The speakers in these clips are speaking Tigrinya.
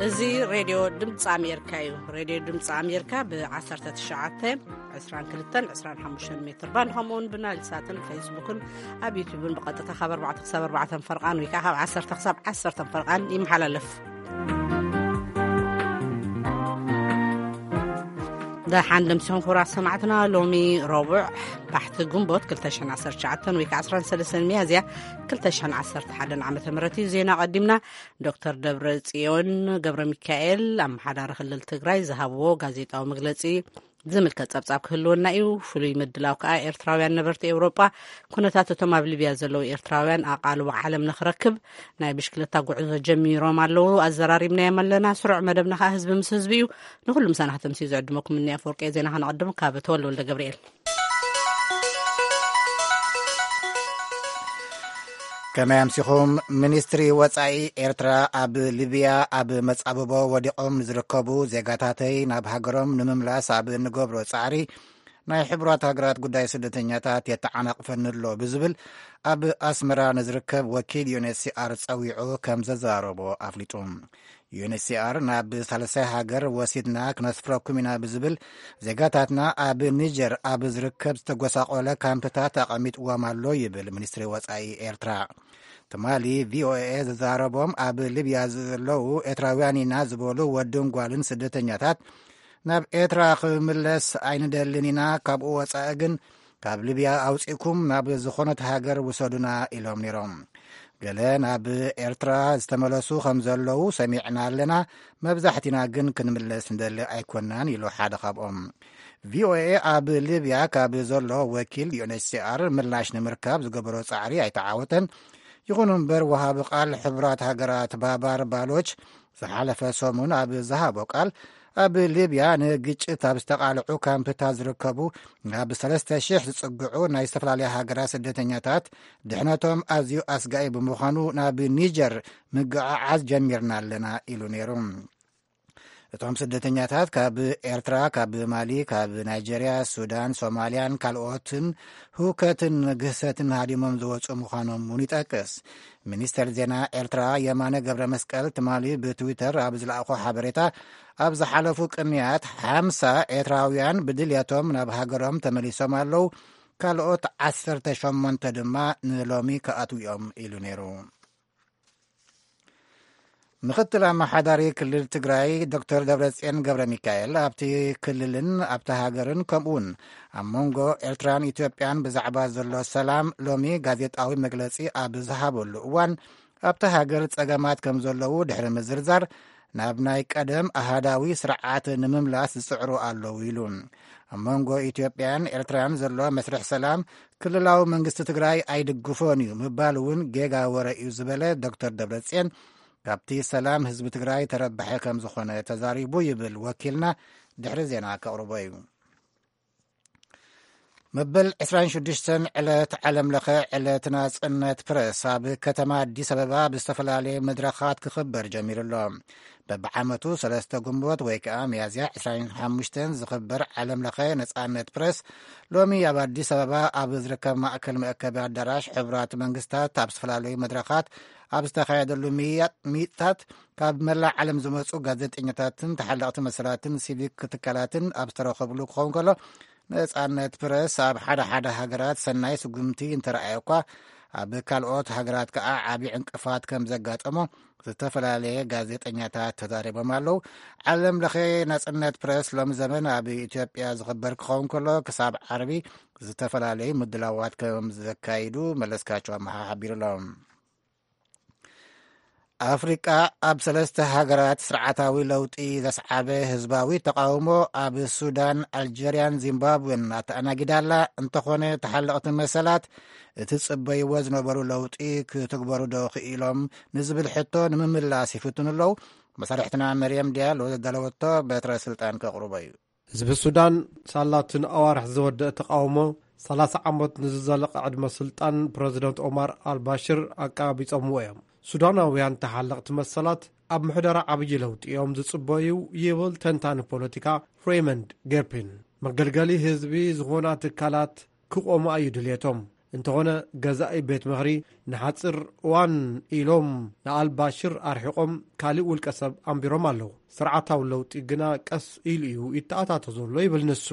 እዚ ሬድዮ ድምፂ ኣሜሪካ እዩ። ሬድዮ ድምፂ ኣሜሪካ ብ19፣ 22፣ 25 ሜትር ባንድ፣ ከምኡ እውን ብናይል ሳትን ፌስቡክን ኣብ ዩቲዩብን ብቐጥታ ካብ ኣርባዕተ ክሳብ ኣርባዕተ ፈርቓን ወይ ከዓ ካብ ዓሰርተ ክሳብ ዓሰርተ ፈርቓን ይመሓላለፍ። ደሓን ደምሲኹም ክቡራት ሰማዕትና፣ ሎሚ ረቡዕ ባሕቲ ግንቦት ክልተ ሽሕን ዓሰርተ ትሽዓተን ወይ ከዓ ዓሰርተ ሰለስተን ሚያዝያ ክልተ ሽሕን ዓሰርተ ሓደን ዓመተ ምህረት እዩ። ዜና ቀዲምና። ዶክተር ደብረ ጽዮን ገብረ ሚካኤል፣ ኣመሓዳሪ ክልል ትግራይ፣ ዝሃብዎ ጋዜጣዊ መግለጺ ዝምልከት ጸብጻብ ክህልወና እዩ። ፍሉይ ምድላው ከኣ ኤርትራውያን ነበርቲ ኤውሮጳ ኩነታት እቶም ኣብ ሊብያ ዘለዉ ኤርትራውያን ኣቓልቦ ዓለም ንኽረክብ ናይ ብሽክለታ ጉዕዞ ጀሚሮም ኣለዉ። ኣዘራሪብናዮም ኣለና። ስሩዕ መደብና ከኣ ህዝቢ ምስ ህዝቢ እዩ። ንኹሉ ምሳና ከተምስዩ ዝዕድመኩም እኒ ኣፈወርቂ ዜና ከነቐድም ካብ ተወልደ ወልደ ገብርኤል። ከመይ ኣምሲኹም? ሚኒስትሪ ወጻኢ ኤርትራ ኣብ ሊብያ ኣብ መጻብቦ ወዲቖም ንዝርከቡ ዜጋታተይ ናብ ሃገሮም ንምምላስ ኣብ እንገብሮ ጻዕሪ ናይ ሕቡራት ሃገራት ጉዳይ ስደተኛታት የተዓናቕፈኒ ኣሎ ብዝብል ኣብ ኣስመራ ንዝርከብ ወኪል ዩ ኤን ኤች ሲ ኣር ጸዊዑ ከም ዘዘራረቦ ኣፍሊጡ። ዩ ኤን ኤች ሲ ኣር ናብ ሳልሳይ ሃገር ወሲድና ክነስፍረኩም ኢና ብዝብል ዜጋታትና ኣብ ኒጀር ኣብ ዝርከብ ዝተጎሳቆለ ካምፕታት ኣቐሚጥዎም ኣሎ ይብል ሚኒስትሪ ወጻኢ ኤርትራ። ትማሊ ቪ ኦ ኤ ዘዛረቦም ኣብ ሊብያ ዘለዉ ኤርትራውያን ኢና ዝበሉ ወድን ጓልን ስደተኛታት ናብ ኤርትራ ክምለስ ኣይንደልን ኢና፣ ካብኡ ወጻኢ ግን ካብ ሊብያ ኣውጺእኩም ናብ ዝኾነት ሃገር ውሰዱና ኢሎም ነይሮም። ገለ ናብ ኤርትራ ዝተመለሱ ከም ዘለዉ ሰሚዕና ኣለና፣ መብዛሕቲና ግን ክንምለስ ንደሊ ኣይኮናን ኢሉ ሓደ ካብኦም። ቪ ኦ ኤ ኣብ ሊብያ ካብ ዘሎ ወኪል ዩ ኤን ኤች ሲ ኣር ምላሽ ንምርካብ ዝገበሮ ጻዕሪ ኣይተዓወተን። ይኹን እምበር ወሃቢ ቃል ሕቡራት ሃገራት ባባር ባሎች ዝሓለፈ ሰሙን ኣብ ዝሃቦ ቃል ኣብ ሊብያ ንግጭት ኣብ ዝተቓልዑ ካምፕታት ዝርከቡ ናብ ሰለስተ ሽሕ ዝጽግዑ ናይ ዝተፈላለያ ሃገራት ስደተኛታት ድሕነቶም ኣዝዩ ኣስጋኢ ብምዃኑ ናብ ኒጀር ምግዕዓዝ ጀሚርና ኣለና ኢሉ ነይሩ። እቶም ስደተኛታት ካብ ኤርትራ፣ ካብ ማሊ፣ ካብ ናይጀርያ፣ ሱዳን፣ ሶማልያን ካልኦትን ህውከትን ግህሰትን ሃዲሞም ዝወጹ ምዃኖም እውን ይጠቅስ። ሚኒስተር ዜና ኤርትራ የማነ ገብረ መስቀል ትማሊ ብትዊተር ኣብ ዝለኣኾ ሓበሬታ፣ ኣብ ዝሓለፉ ቅንያት ሓምሳ ኤርትራውያን ብድልየቶም ናብ ሃገሮም ተመሊሶም ኣለዉ፣ ካልኦት ዓሰርተ ሸሞንተ ድማ ንሎሚ ክኣትዉ እዮም ኢሉ ነይሩ። ምኽትል ኣመሓዳሪ ክልል ትግራይ ዶክተር ደብረጽዮን ገብረ ሚካኤል ኣብቲ ክልልን ኣብቲ ሃገርን ከምኡውን ኣብ መንጎ ኤርትራን ኢትዮጵያን ብዛዕባ ዘሎ ሰላም ሎሚ ጋዜጣዊ መግለጺ ኣብ ዝሃበሉ እዋን ኣብቲ ሃገር ጸገማት ከም ዘለዉ ድሕሪ ምዝርዛር ናብ ናይ ቀደም ኣሃዳዊ ስርዓት ንምምላስ ዝጽዕሩ ኣለዉ ኢሉ። ኣብ መንጎ ኢትዮጵያን ኤርትራን ዘሎ መስርሕ ሰላም ክልላዊ መንግስቲ ትግራይ ኣይድግፎን እዩ ምባል እውን ጌጋ ወረ እዩ ዝበለ ዶክተር ደብረጽዮን ካብቲ ሰላም ህዝቢ ትግራይ ተረባሒ ከም ዝኾነ ተዛሪቡ ይብል ወኪልና ድሕሪ ዜና ከቕርቦ እዩ። መበል ዕስራን ሽዱሽተን ዕለት ዓለም ለኸ ዕለት ናጽነት ፕረስ ኣብ ከተማ ኣዲስ ኣበባ ብዝተፈላለየ መድረኻት ክኽበር ጀሚሩ ኣሎ። በብዓመቱ ሰለስተ ግንቦት ወይ ከዓ ሚያዝያ ዕስራን ሓሙሽተን ዝኽበር ዓለም ለኸ ነጻነት ፕረስ ሎሚ ኣብ ኣዲስ ኣበባ ኣብ ዝርከብ ማእከል መእከቢ ኣዳራሽ ሕቡራት መንግስታት ኣብ ዝተፈላለዩ መድረኻት ኣብ ዝተኻየደሉ ምይያጥ-፣ ምይይጣት ካብ መላእ ዓለም ዝመጹ ጋዜጠኛታትን ተሓለቕቲ መሰላትን ሲቪክ ትካላትን ኣብ ዝተረኸብሉ ክኸውን ከሎ፣ ነጻነት ፕረስ ኣብ ሓደ ሓደ ሃገራት ሰናይ ስጉምቲ እንተረኣየ እኳ፣ ኣብ ካልኦት ሃገራት ከኣ ዓቢ ዕንቅፋት ከም ዘጋጠሞ ዝተፈላለየ ጋዜጠኛታት ተዛሪቦም ኣለዉ። ዓለም ለኸ ናጽነት ፕረስ ሎም ዘመን ኣብ ኢትዮጵያ ዝኽበር ክኸውን ከሎ፣ ክሳብ ዓርቢ ዝተፈላለዩ ምድላዋት ከም ዘካይዱ መለስካቸው ኣመሓ ሓቢሩ ኣሎ። ኣፍሪቃ ኣብ ሰለስተ ሃገራት ስርዓታዊ ለውጢ ዘስዓበ ህዝባዊ ተቃውሞ ኣብ ሱዳን፣ ኣልጀርያን ዚምባብዌን ኣተኣናጊዳ ኣላ። እንተኾነ ተሓለቕቲ መሰላት እቲ ጽበይዎ ዝነበሩ ለውጢ ክትግበሩ ዶ ክኢሎም ንዝብል ሕቶ ንምምላስ ይፍትኑ ኣለዉ። መሳርሕትና መርየም ዲያሎ ዘዳለወቶ በትረ ስልጣን ከቕርቦ እዩ። ህዝቢ ሱዳን ሳላትን ኣዋርሕ ዝወደአ ተቃውሞ፣ ሰላሳ ዓመት ንዝዘለቐ ዕድመ ስልጣን ፕረዚደንት ኦማር ኣልባሽር ኣቃቢጾምዎ እዮም። ሱዳናውያን ተሓለቕቲ መሰላት ኣብ ምሕደራ ዓብዪ ለውጢ እዮም ዝጽበዩ ይብል ተንታኒ ፖለቲካ ሬይመንድ ጌርፒን። መገልገሊ ህዝቢ ዝኾና ትካላት ክቖማ እዩ ድልየቶም። እንተኾነ፣ ገዛኢ ቤት ምኽሪ ንሓፂር እዋን ኢሎም ንኣልባሽር ኣርሒቖም ካልእ ውልቀ ሰብ ኣንቢሮም ኣለዉ። ስርዓታዊ ለውጢ ግና ቀስ ኢሉ እዩ ይተኣታቶ ዘሎ ይብል ንሱ።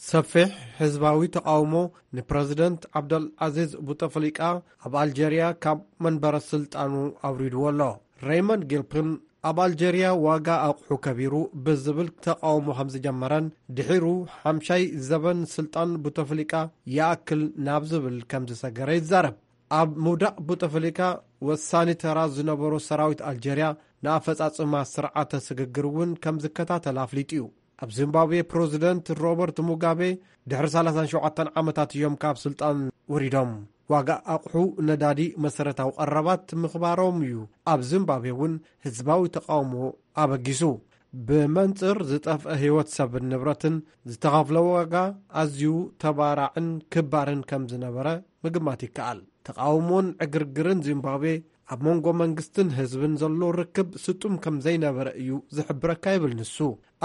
ሰፊሕ ህዝባዊ ተቓውሞ ንፕረዚደንት ዓብደል ዓዚዝ ቡተፍሊቃ ኣብ ኣልጀርያ ካብ መንበረ ስልጣኑ ኣውሪድዎ ኣሎ። ሬይመንድ ጊልፕን ኣብ ኣልጀርያ ዋጋ ኣቑሑ ከቢሩ ብዝብል ተቓውሞ ከም ዝጀመረን ድሒሩ ሓምሻይ ዘበን ስልጣን ቡተፍሊቃ ይኣክል ናብ ዝብል ከም ዝሰገረ ይዛረብ። ኣብ ምውዳቕ ቡተፍሊካ ወሳኒ ተራ ዝነበሮ ሰራዊት ኣልጀርያ ንኣፈጻጽማ ስርዓተ ስግግር እውን ከም ዝከታተል ኣፍሊጡ እዩ። ኣብ ዚምባብዌ ፕረዚደንት ሮበርት ሙጋቤ ድሕሪ ሰላሳን ሸውዓተን ዓመታት እዮም ካብ ስልጣን ወሪዶም። ዋጋ ኣቑሑ፣ ነዳዲ፣ መሰረታዊ ቀረባት ምኽባሮም እዩ ኣብ ዚምባብዌ እውን ህዝባዊ ተቓውሞ ኣበጊሱ። ብመንጽር ዝጠፍአ ህይወት ሰብን ንብረትን ዝተኸፍለ ዋጋ ኣዝዩ ተባራዕን ክባርን ከም ዝነበረ ምግማት ይከኣል። ተቓውሞን ዕግርግርን ዚምባብዌ ኣብ መንጎ መንግስትን ህዝብን ዘሎ ርክብ ስጡም ከም ዘይነበረ እዩ ዝሕብረካ ይብል ንሱ።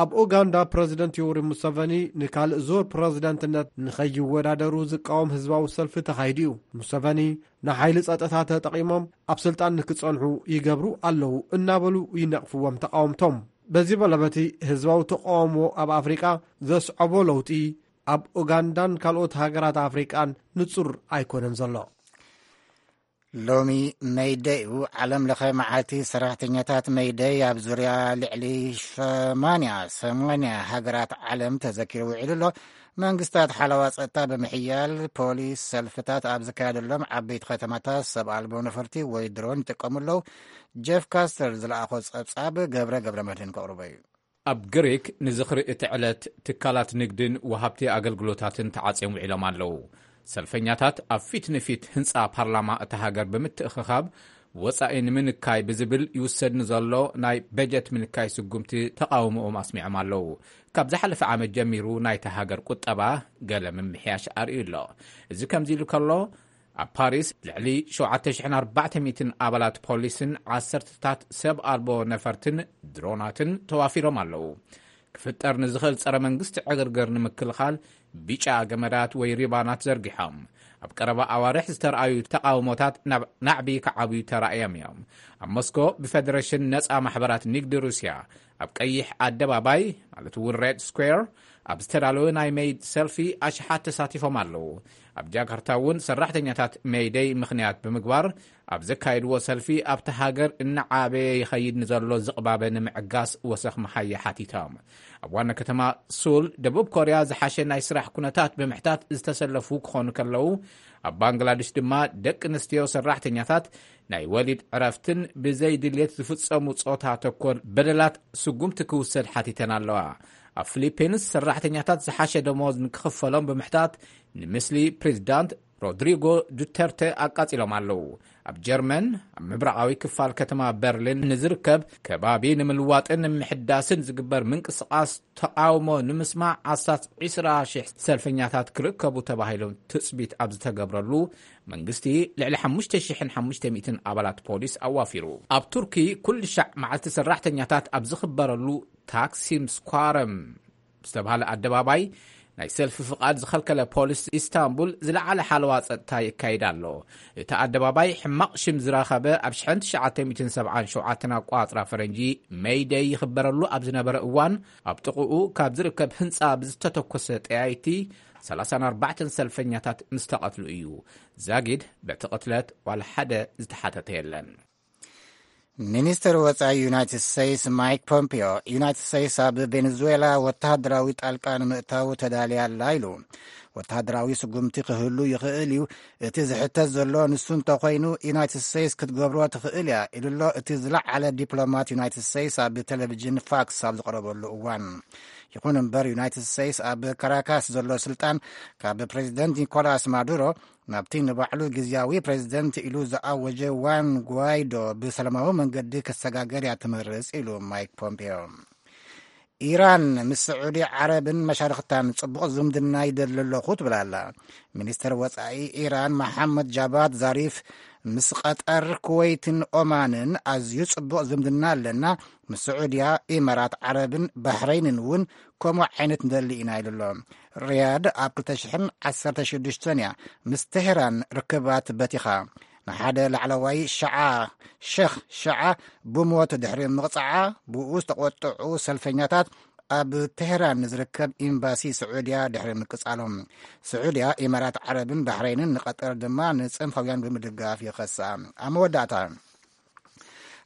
ኣብ ኡጋንዳ ፕረዚደንት ዮወሪ ሙሰቨኒ ንካልእ ዙር ፕረዚደንትነት ንኸይወዳደሩ ዝቃወም ህዝባዊ ሰልፊ ተኻይዱ እዩ። ሙሰቨኒ ንሓይሊ ጸጥታ ተጠቒሞም ኣብ ስልጣን ንክጸንሑ ይገብሩ ኣለዉ እናበሉ ይነቕፍዎም ተቓወምቶም። በዚ በለበቲ ህዝባዊ ተቓውሞ ኣብ ኣፍሪቃ ዘስዐቦ ለውጢ ኣብ ኡጋንዳን ካልኦት ሃገራት ኣፍሪቃን ንጹር ኣይኮነን ዘሎ። ሎሚ መይደይ እዩ። ዓለም ለኸ መዓልቲ ሰራሕተኛታት መይደይ ኣብ ዙርያ ልዕሊ ሰማንያ ሰማንያ ሃገራት ዓለም ተዘኪሩ ውዒሉ ኣሎ። መንግስታት ሓለዋ ጸጥታ ብምሕያል ፖሊስ ሰልፍታት ኣብ ዝካየደሎም ዓበይቲ ከተማታት ሰብ ኣልቦ ነፈርቲ ወይ ድሮን ይጥቀሙ ኣለዉ። ጀፍ ካስተር ዝለኣኾ ጸብጻብ ገብረ ገብረ መድህን ከቕርቦ እዩ። ኣብ ግሪክ ንዝኽሪ እቲ ዕለት ትካላት ንግድን ወሃብቲ ኣገልግሎታትን ተዓጽዮም ውዒሎም ኣለዉ። ሰልፈኛታት ኣብ ፊት ንፊት ህንጻ ፓርላማ እታ ሃገር ብምትእኽኻብ ወጻኢ ንምንካይ ብዝብል ይውሰድ ንዘሎ ናይ በጀት ምንካይ ስጉምቲ ተቓውሞኦም ኣስሚዖም ኣለዉ። ካብ ዝሓለፈ ዓመት ጀሚሩ ናይታ ሃገር ቁጠባ ገለ ምምሕያሽ ኣርእዩ ኣሎ። እዚ ከምዚ ኢሉ ከሎ፣ ኣብ ፓሪስ ልዕሊ ሸውዓተ ሽሕን ኣርባዕተ ሚእትን ኣባላት ፖሊስን ዓሰርተታት ሰብ ኣልቦ ነፈርትን ድሮናትን ተዋፊሮም ኣለዉ። ክፍጠር ንዝኽእል ጸረ መንግስቲ ዕግርግር ንምክልኻል ብጫ ገመዳት ወይ ሪባናት ዘርጊሖም። ኣብ ቀረባ ኣዋርሕ ዝተረኣዩ ተቓውሞታት ናብ ናዕቢ ክዓብዩ ተራእዮም እዮም። ኣብ ሞስኮ ብፌደሬሽን ነጻ ማሕበራት ንግዲ ሩስያ ኣብ ቀይሕ ኣደባባይ፣ ማለት እውን ሬድ ስኩዌር፣ ኣብ ዝተዳለወ ናይ ሜይድ ሰልፊ ኣሽሓት ተሳቲፎም ኣለዉ። ኣብ ጃካርታ እውን ሰራሕተኛታት ሜይደይ ምኽንያት ብምግባር ኣብ ዘካየድዎ ሰልፊ ኣብቲ ሃገር እናዓበየ ይኸይድ ንዘሎ ዝቕባበ ንምዕጋስ ወሰኽ መሃያ ሓቲቶም። ኣብ ዋና ከተማ ሱል ደቡብ ኮርያ ዝሓሸ ናይ ስራሕ ኩነታት ብምሕታት ዝተሰለፉ ክኾኑ ከለዉ፣ ኣብ ባንግላድሽ ድማ ደቂ ኣንስትዮ ሰራሕተኛታት ናይ ወሊድ ዕረፍትን ብዘይ ድልየት ዝፍጸሙ ጾታ ተኮር በደላት ስጉምቲ ክውሰድ ሓቲተን ኣለዋ። ኣብ ፊሊፒንስ ሰራሕተኛታት ዝሓሸ ደሞዝ ንክኽፈሎም ብምሕታት ንምስሊ ፕሬዚዳንት ሮድሪጎ ዱተርተ ኣቃጺሎም ኣለዉ። ኣብ ጀርመን ኣብ ምብራቓዊ ክፋል ከተማ በርሊን ንዝርከብ ከባቢ ንምልዋጥን ንምሕዳስን ዝግበር ምንቅስቓስ ተቓውሞ ንምስማዕ ኣስታት ዕስራ ሽሕ ሰልፈኛታት ክርከቡ ተባሂሎም ትጽቢት ኣብ ዝተገብረሉ፣ መንግስቲ ልዕሊ ሓሙሽተ ሽሕን ሓሙሽተ ሚእትን ኣባላት ፖሊስ ኣዋፊሩ። ኣብ ቱርኪ ኩሉ ሻዕ መዓልቲ ሰራሕተኛታት ኣብ ዝኽበረሉ ታክሲም ስኳረም ዝተባህለ ኣደባባይ ናይ ሰልፊ ፍቓድ ዝኸልከለ ፖሊስ ኢስታንቡል ዝለዓለ ሓለዋ ጸጥታ የካይድ ኣሎ። እቲ ኣደባባይ ሕማቕ ሽም ዝረኸበ ኣብ ሽሕን ትሽዓተ ሚእትን ሰብዓን ሸውዓተን ኣቋጽራ ፈረንጂ ሜይደይ ይኽበረሉ ኣብ ዝነበረ እዋን፣ ኣብ ጥቕኡ ካብ ዝርከብ ህንጻ ብዝተተኮሰ ጠያይቲ ሰላሳን ኣርባዕተን ሰልፈኛታት ምስ ተቐትሉ እዩ። ዛጊድ በቲ ቅትለት ዋላ ሓደ ዝተሓተተ የለን። ሚኒስትር ወጻኢ ዩናይትድ ስቴትስ ማይክ ፖምፒዮ፣ ዩናይትድ ስቴትስ ኣብ ቬኔዙዌላ ወተሃደራዊ ጣልቃ ንምእታው ተዳልያ ኣላ ኢሉ። ወተሃደራዊ ስጉምቲ ክህሉ ይኽእል እዩ፣ እቲ ዝሕተት ዘሎ ንሱ እንተኾይኑ ዩናይትድ ስቴትስ ክትገብሮ ትኽእል እያ ኢሉ ኣሎ እቲ ዝለዓለ ዲፕሎማት ዩናይትድ ስቴትስ ኣብ ቴሌቪዥን ፋክስ ኣብ ዝቐረበሉ እዋን። ይኹን እምበር ዩናይትድ ስቴትስ ኣብ ካራካስ ዘሎ ስልጣን ካብ ፕሬዚደንት ኒኮላስ ማዱሮ ናብቲ ንባዕሉ ግዝያዊ ፕሬዚደንት ኢሉ ዝኣወጀ ዋን ጓይዶ ብሰላማዊ መንገዲ ክሰጋገር እያ ትመርጽ ኢሉ ማይክ ፖምፔዮ። ኢራን ምስ ስዑዲ ዓረብን መሻርኽታን ጽቡቕ ዝምድና ይደሊ ኣለኹ ትብል ኣላ። ሚኒስተር ወጻኢ ኢራን መሓመድ ጃባት ዛሪፍ ምስ ቀጠር፣ ኩወይትን ኦማንን ኣዝዩ ጽቡቕ ዝምድና ኣለና። ምስ ስዑድያ፣ ኢማራት ዓረብን ባሕረይንን እውን ከምኡ ዓይነት ንደሊ ኢና ኢሉ ኣሎ። ሪያድ ኣብ ክልተ ሽሕን ዓሰርተ ሽዱሽተን እያ ምስ ቴህራን ርክባት በቲኻ። ንሓደ ላዕለዋይ ሸዓ ሸኽ ሸዓ ብሞት ድሕሪ ምቕጻዓ፣ ብኡ ዝተቖጥዑ ሰልፈኛታት ኣብ ቴህራን ንዝርከብ ኤምባሲ ስዑድያ ድሕሪ ምቅጻሎም፣ ስዑድያ፣ ኢማራት ዓረብን ባሕረይንን ንቐጠር ድማ ንጽንፋውያን ብምድጋፍ ይኸሳ። ኣብ መወዳእታ፣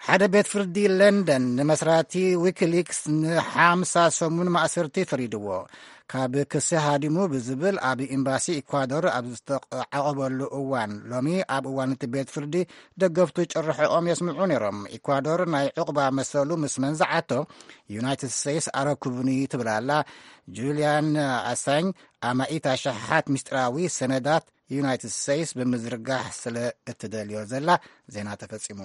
ሓደ ቤት ፍርዲ ለንደን ንመስራቲ ዊኪሊክስ ንሓምሳ ሰሙን ማእሰርቲ ፈሪድዎ። ካብ ክሲ ሃዲሙ ብዝብል ኣብ ኤምባሲ ኢኳዶር ኣብ ዝተዓቐበሉ እዋን፣ ሎሚ ኣብ እዋን እቲ ቤት ፍርዲ ደገፍቱ ጭርሖኦም የስምዑ ነይሮም። ኢኳዶር ናይ ዕቑባ መሰሉ ምስ መንዝዓቶ፣ ዩናይትድ ስቴትስ ኣረክቡኒ ትብል ኣላ። ጁልያን ኣሳኝ ኣማኢት ኣሽሓት ምስጢራዊ ሰነዳት ዩናይትድ ስቴትስ ብምዝርጋሕ ስለ እትደልዮ ዘላ። ዜና ተፈጺሙ።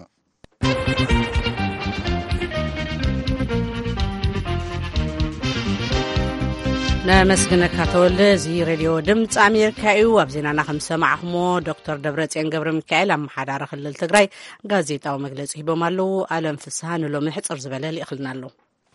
ነመስግነካ ተወልደ። እዚ ሬድዮ ድምፂ ኣሜሪካ እዩ። ኣብ ዜናና ከም ዝሰማዕኹሞ፣ ዶክተር ደብረፅዮን ገብረ ሚካኤል፣ ኣመሓዳሪ ክልል ትግራይ፣ ጋዜጣዊ መግለፂ ሂቦም ኣለዉ። ኣለም ፍስሃ ንሎሚ ሕፅር ዝበለ ልኢኽልና ኣሎ።